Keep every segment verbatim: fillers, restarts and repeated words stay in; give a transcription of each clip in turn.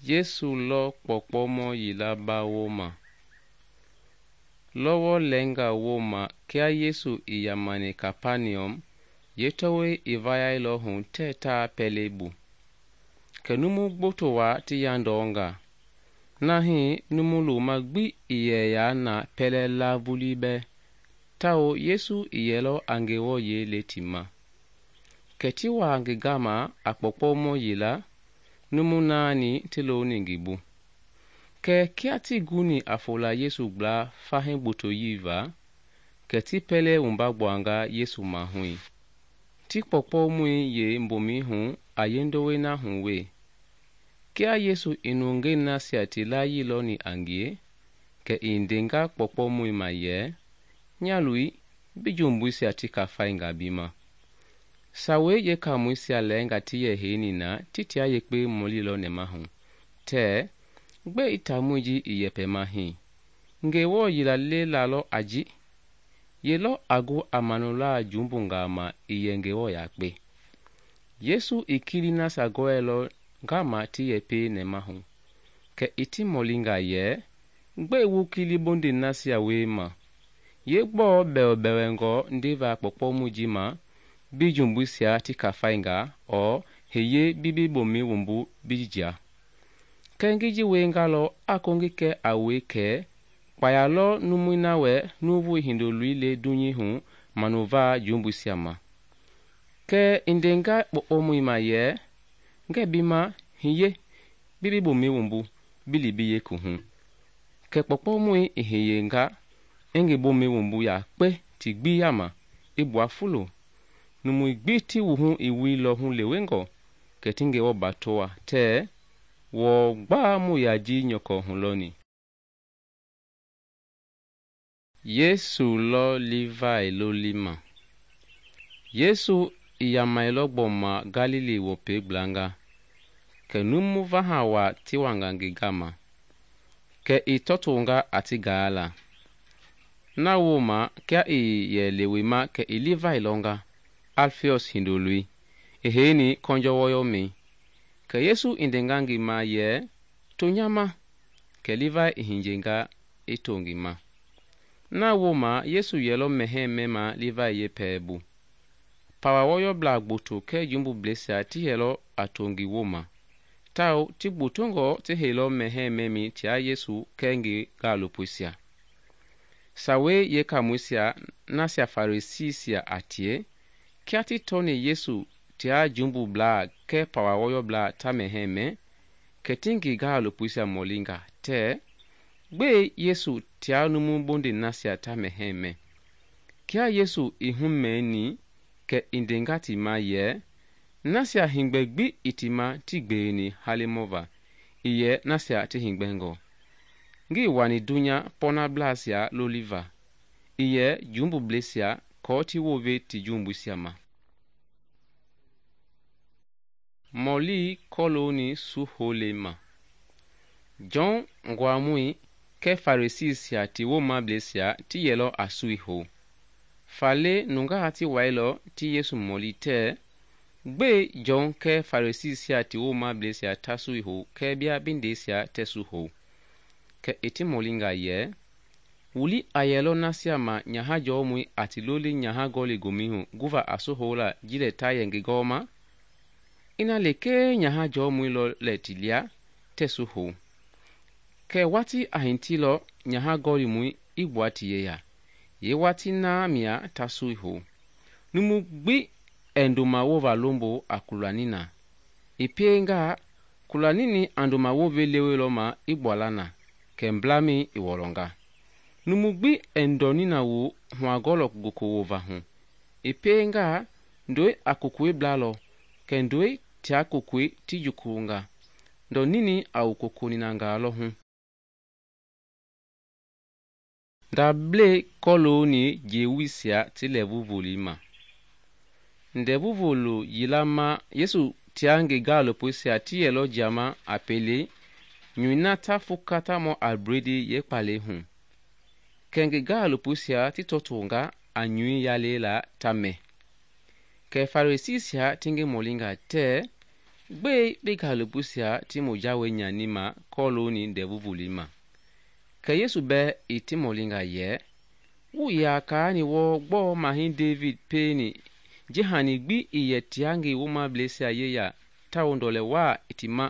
Yesu lɔ kpɔkpɔmɔ yila ba wooma. Lɔwɔ lɛnga wooma kia Yesu i yamani Kapaniɔm, yeetɔwɔi i vayailɔ hu tɛɛ taa pɛlei bu. Kɛ numu gboto waa ti yandɔnga. Na hii numu loma gbi i yɛ yaa na pɛlɛ la vulii bɛɛ, tawao Yesu i yɛlɔ a Ngewɔ yei le ti ma. Kɛ ti waa ngi gama a kpɔkpɔmɔ yila, numu naani ti loni ngi bu. Kɛ kia ti guni a fola Yesu gbla fahii gbotoyii va, kɛ ti pɛlɛ wumba gbuanga Yesu mahui. Ti kpɔkpɔmɔi yei mbomɛi hu a yendowei na hu we. Kia Yesu i nungei nasia ti layii lɔni a ngie, kɛ i ndenga kpɔkpɔmɔi ma yɛ, "Nyaloi, bi jumbuisia ti kafainga bi ma." Sawei yeekaamɔisia lɛɛnga ti yɛ heini na ti tia yekpe mɔlilɔ nɛmahu tɛɛ, "Gbe i taamɔi ji i yɛpɛma hii? Ngewɔ yila le lalɔ a ji? Ye lɔ a gu a manulaa jumbungaa ma i yɛ Ngewɔ yakpe?" Yesu i kili nasia gɔɛilɔ ngama ti yɛpɛi nɛmahu, kɛ i ti mɔlinga yɛ, "Gbe wu kili bonde nasia wiema? Ye gbɔɔ bɛwɛbɛwɛngɔ ndeva kpɔkpɔmɔi ji ma bi jumbuisia ti kafainga ɔɔ hiye bi bi bomɛi wumbu bi jia? Kɛ ngi ji wiengalɔ a kongi kɛ a wue kɛ kpaya lɔ numui na wɛ Nuuvu Hindoloi le dunyei hu manuva jumbuisia ma." Kɛ i ndenga kpɔkpɔmɔi ma yɛ, "Ngɛɛ bi ma, hiye bi bi bomɛi wumbu bi li bi yeekuhu." Kɛ kpɔkpɔmɔi i hiyenga i ngi bomɛi wumbu yakpe ti gbi yama i gbua fulo. Numui gbi ti wuhu i wuilɔ hulewengɔ, kɛ ti Ngewɔ batoa tɛɛ, "Wɔɔ gbaa mu yaa ji nyɔkɔ hulɔni." Yesu lɔ Livai lolima. Yesu i yamailɔ gbɔma Galili wɔpɛi gblanga, kɛ numu vaha waa ti wanga ngi gama, kɛ i tɔtonga a ti gaala. Na wooma kia i yɛ lewema kɛ i Livai lɔnga, Alfiɔs hindoloi, i heini kɔnjɔ wɔyɔmɛi. Kɛ Yesu i ndenga ngi ma yɛ, "To nya ma," kɛ Livai i hinjenga i to ngi ma. Na wooma Yesu yɛlɔ mɛhɛɛ mɛma Livai yepɛɛ bu. Pawa wɔyɔblaa gboto kɛɛ jumbubleisia ti yɛlɔ a to ngi wooma, tawao ti gbotongɔ ti heilɔ mɛhɛɛ mɛmi tia Yesu kɛɛ ngi gaalopoisia. Sawei yeekaamɔisia nasia Farisiisia a tie, kia ti tɔni Yesu tia jumbublaa kɛɛ pawa wɔyɔblaa ta mɛhɛɛ mɛ, kɛ ti ngi gaalopoisia mɔlinga tɛɛ, "Gbɛe Yesu tia numu bonde nasia ta mɛhɛɛ mɛ?" Kia Yesu i humɛɛni, kɛ i ndenga ti ma yɛ, "Nasia hingbɛ gbi i ti ma ti gbeeni halemɔva, i yɛ nasia ti hingbɛngɔ. Ngii wani dunya pɔnablaasia loliva, i yɛ jumbubleisia kɔɔ ti wove ti jumbuisia ma." Mɔlii kɔlooni suhole ma. Jɔn nguamɔi kɛɛ Farisiisia ti woomableisia ti yɛlɔ a sui hou. Faale nungaa ti wailɔ ti Yesu mɔli tɛɛ, "Gbɛe Jɔn kɛɛ Farisiisia ti woomableisia ta sui hou kɛɛ bia bindeisia tɛ su hou?" Kɛ i ti mɔlinga yɛ, "Wuli a yɛlɔ nasia ma nyahajɔmɔi a ti loli nyaha gɔli gomɛi hu guva a su houla ji lɛ ta yɛ ngi gɔɔma? Ina lekee nyahajɔmɔi lɔ lɛ ti lia, tɛ su hou. Kɛ wati a hintilɔ nyaha gɔlimɔi i gbua ti yeya, ye wati na mia ta sui hou. Numu gbi ɛ ndoma wova lombo a kulani na. I piengaa, kulanini a ndoma wove lewelɔ ma i gbuala na, kɛ mblamɛi i wɔlɔnga. Numu gbi ɛ ndɔnina wo huagɔlɔ goko wova hu. I piengaa, ndɔi a kokoe blalɔ, kɛ ndɔi tia kokoe ti jukulunga. Ndɔnini a wo kokoninangaa lɔ hu." Ndable kɔlooni jeewisia ti lɛɛvuvoli ma. Ndɛɛvuvolo yila ma Yesu tia ngi gaalopoisia ti yɛlɔ jiama a pele nyui na ta fukatamɔ a bredi yeekpalɛi hu. Kɛ ngi gaalopoisia ti tɔtonga a nyui yalei la ta mɛ. Kɛ Farisiisia ti ngi mɔlinga tɛɛ, gbɛe bi gaalopoisia ti mu jawei nyanima kɔlooni Ndɛvu Volei ma? Kɛ Yesu bɛɛ i ti mɔlinga yɛ, “Wuii yaa kaani wɔɔ gbɔɔ Mahɛi Devidi pieni ji hani gbi ii yɛ tia ngi woomableisia yeya tawao ndɔlɛ waa i ti ma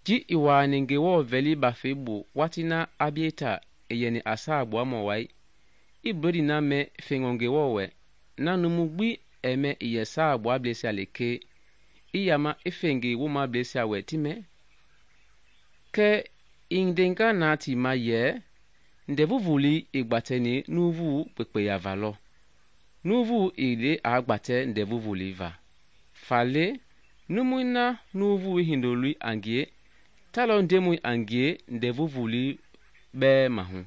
ji i wuaani Ngewɔ vɛli Bafei bu watii na Abiata i yɛni a Saagbuamɔ wai, i bledii na mɛ fengɔ Ngewɔ wɛ, na numu gbi ɛɛ mɛ ii yɛ saagbuablɛisia lekee, i yama i fe ngi woomableisia wɛ ti mɛ?” Kɛ i ndenga na ti ma yɛ, Ndɛvu Volei i gbatɛni nuuvu kpekpeya va lɔ, nuuvu ii le aa gbatɛ Ndɛvu Volei va. Faale, numui na Nuuvu Hindoloi a ngie, ta lɔ Ndemɔi a ngie Ndɛvu Volei bɛɛ mahu.